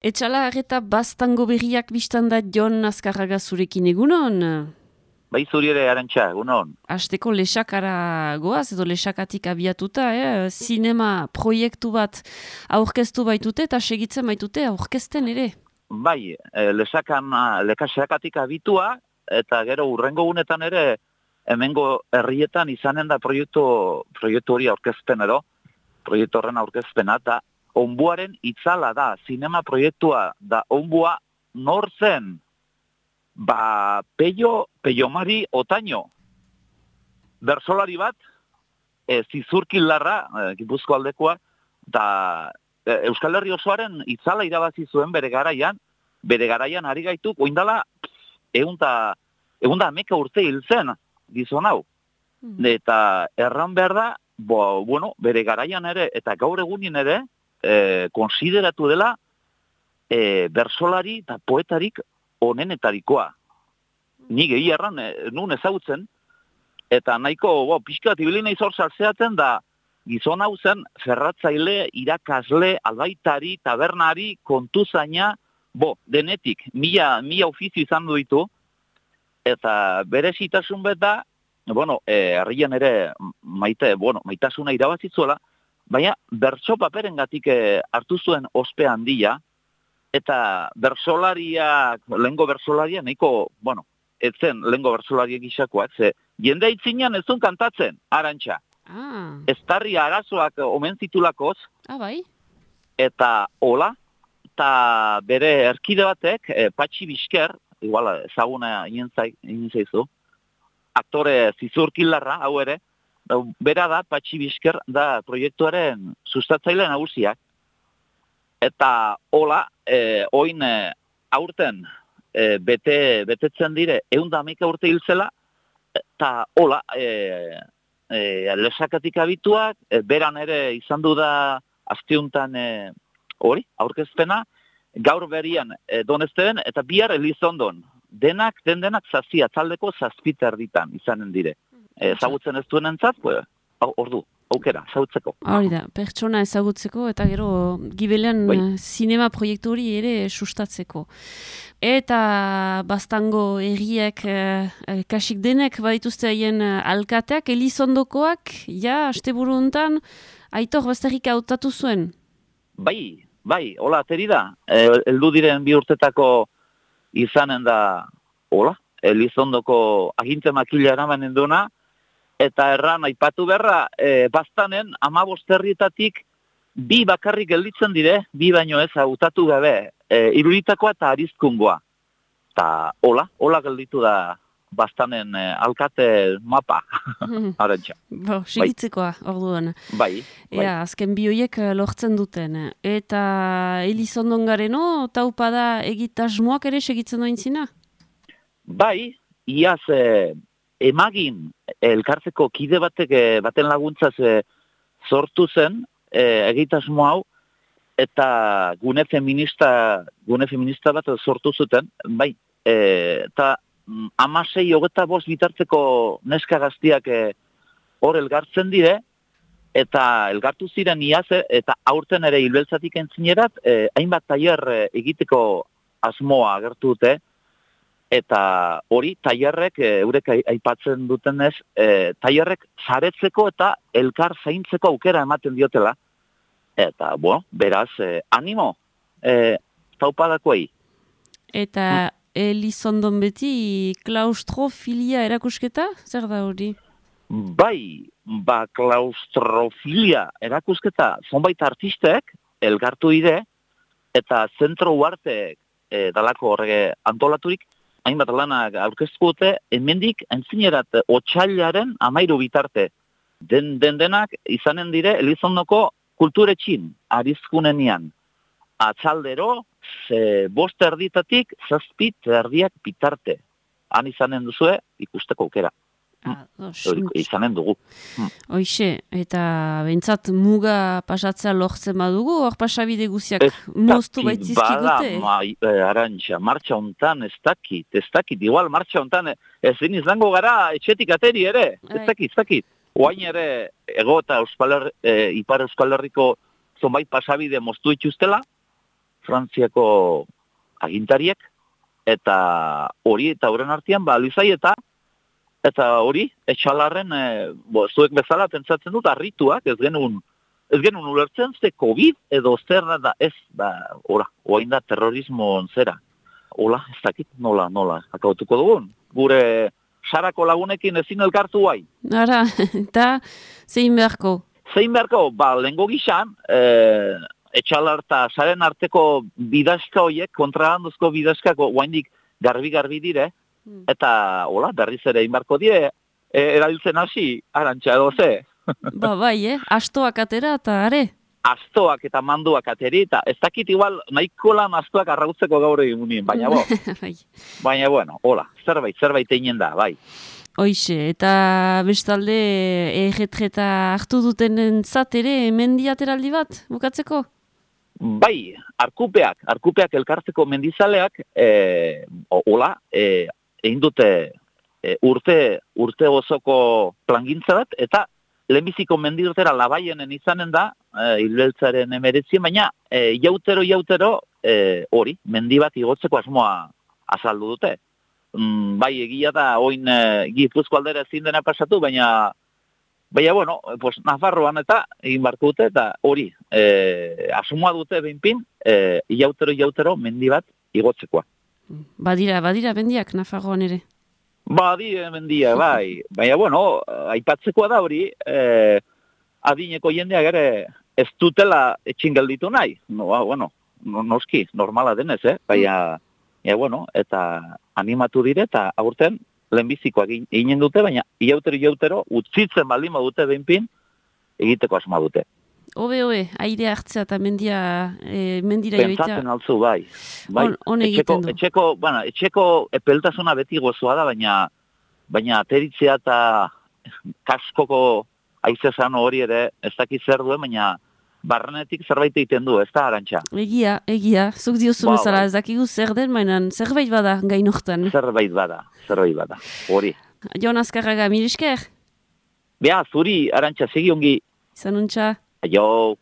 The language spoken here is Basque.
Etxala eta baztango berriak biztan da Jon Azkarraga zurekin egunon? Bai zuri ere Arantxa, egunon. Hasteko lesakara goaz edo lesakatik abiatuta, Zinema proiektu bat aurkeztu baitute eta segitzen baitute aurkezten ere. Bai, lekasakatik abitua, eta gero urrengo gunetan ere, hemengo herrietan izanen da proiektu hori aurkezpen edo, proiektu horren aurkezpena, eta onbuaren itzala da, zinema proiektua da onbua nor zen, Peio Mari Otaño, bersolari bat, zizurkilarra, Gipuzko aldekoa, da Euskal Herri osoaren itzala irabazi zuen bere garaian ari gaituk, oindala, egun da ameka urte hil zen, gizon hau. Eta erran behar da, bere garaian ere, eta gaur egunin ere, konsideratu dela bersolari eta poetarik onenetarikoa. Nik egia erran, nun ezagutzen, eta nahiko, pixka bat ibili nahi zor saltzeaten da, gizon hau zen ferratzaile, irakasle, albaitari, tabernari, kontuzaina, denetik, mila ofizio izan du ditu, eta berezitasun bet da, herrian ere maitasuna irabazitzuela, baina bertso paperengatik hartu zuen ospe handia, eta lehengo bersolaria, nahiko, etzen lehengo bersolariek gisakoak, ze jende itzinean ez zuen kantatzen, Arantxa. Estarri arazoak omen zitulakoz, bai? eta hola, eta bere erkide batek, Patxi Bizker, igual ezaguna inen zaizu, aktore zizurkilarra, hau ere, bera da, Patxi Bizker, da proiektuaren sustatzaile nagusiak. Eta hola, oin aurten betetzen dire, 111 urte hiltzela, eta hola, lesakatik abituak, beran ere izan du da asteuntan aurkezpena, gaur berian Donezteben, eta bihar Elizondon. Denak zazia, taldeko zazpiter ditan izanen dire. Ezagutzen ez duen entzat, ordu, aukera, ezagutzeko. Hori da, pertsona ezagutzeko eta gero gibelean zinema proiektu hori ere sustatzeko. Eta baztango erriek kasik denek badituzte haien alkateak, Elizondokoak, asteburu hontan, Aitor Bazterrik hautatu zuen? Bai, hola, ateri da. Heldu diren 2 urtetako izanen da, hola, Elizondoko aginte makila eramanen duna, eta erran aipatu beharra, baztanen 15 herrietatik 2 bakarrik gelditzen dire, 2 baino ez hautatu gabe, Iruritakoa eta Arizkungoa. Eta hola gelditu da baztanen alkate mapa, Arantxa. Segitzekoa, orduan. Bai. Azken bi horiek lortzen duten. Eta Elizondon gareno, taupada egitasmoak ere segitzen doin zina? Bai, iaz emagin elkartzeko kide baten laguntzaz sortu zen egitasmo hau, eta gune feminista bat sortu zuten, bai, eta 16-25 bitartzeko neska gaztiak hor elgartzen dire, eta elgartu ziren iaz, eta aurten ere hilbeltzatik entzinerat, hainbat tailer egiteko asmoa agertu dute, eta hori tailerrek, eurek aipatzen dutenez, tailerrek saretzeko eta elkar zaintzeko aukera ematen diotela. Eta, beraz, animo, taupadakoei. Eta Elizondon beti klaustrofilia erakusketa? Zer da hori? Bai, klaustrofilia erakusketa zonbait artistek elgartu ide, eta zentro uartek dalako horrege antolaturik, hainbat lanak aurkeztu dute, hemendik entzinerat otsailaren 13 bitarte. Denak izanen dire Elizondoko kulturetxin, Arizkunenian. Atzaldero, 5 erditatik 7 erdiak bitarte. Han izanen duzue ikusteko aukera. Izanen dugu. Hoixe, eta bentsat muga pasatzea lortzen badugu, hor pasabide guziak moztu baitzizkigute? Arantxa, martxa hontan ez dakit, igual martxa hontan ezin izango gara etxetik ateri ere, ez dakit. Oain ere, ego eta Ipar Euskal Herriko zonbait pasabide moztu ituztela, Frantziako agintariek, eta hori, eta horren artean, Luzai eta hori, etxalarren, zuek bezala pentsatzen dut, arrituak, ez genuen ulertzen, ze COVID edo zer da, ez, oain da terrorismo zera. Hola, ez dakit, nola, akautuko dugun. Gure sarako lagunekin ezin elkartu bai. Ara, eta zein beharko? Zein beharko, lehengo gizan, etxalar eta saren arteko bidazka horiek, kontrabanduzko bidazkako, oaindik garbi dire, eta, hola, berriz ere inbarko die, erabiltzen hasi, Arantxa edo ze. Bai, astoak atera eta are. Astoak eta manduak ateri, eta ez dakit igual nahiko lan astoak arrautzeko gaur egin munien, baina baina bueno, hola, zerbait egin da, bai. Hoixe, eta bestalde erretreta hartu duten entzat ere mendiateraldi bat, bukatzeko? Bai, arkupeak elkartzeko mendizaleak, hola, egin dute urte osoko plangintza bat, eta lehenbiziko mendirtera labaienen izanen da, hilbeltzaren emeretzien, baina jautero hori, mendi bat igotzeko asmoa azaldu dute. Bai, egia da, oin Gipuzko aldera ezin dena pasatu, baina bueno, Nafarroan eta egin barko dute, eta hori, asmoa dute behinpin, jautero mendi bat igotzekoa. Badira mendiak Nafarroan ere? Mendia, bai. Baina, bueno, aipatzekoa da hori, adineko jendeak ere ez dutela etxin gelditu nahi. Noski, normala denez, Baina, bueno, eta animatu dire, eta aurten lehenbizikoak eginen dute, baina iautero, utzitzen baldin dute behinpin, egiteko asma dute. Obe, aire hartzea eta mendira joitea. Pentsatzen altzu, bai. On egiten du. Etxeko epeltasuna beti gozoa da, baina ateritzea eta kaskoko aizezan hori ere ez dakit zer duen, baina barrenetik zerbait egiten du, ez da, Arantxa? Egia. Zuk diozu bezala, ez dakigu zer den, baina zerbait bada gainoktan. Zerbait bada, hori. Jon Azkarraga, mirisker? Zuri, Arantxa, segi ongi. Zanuntza. Aio.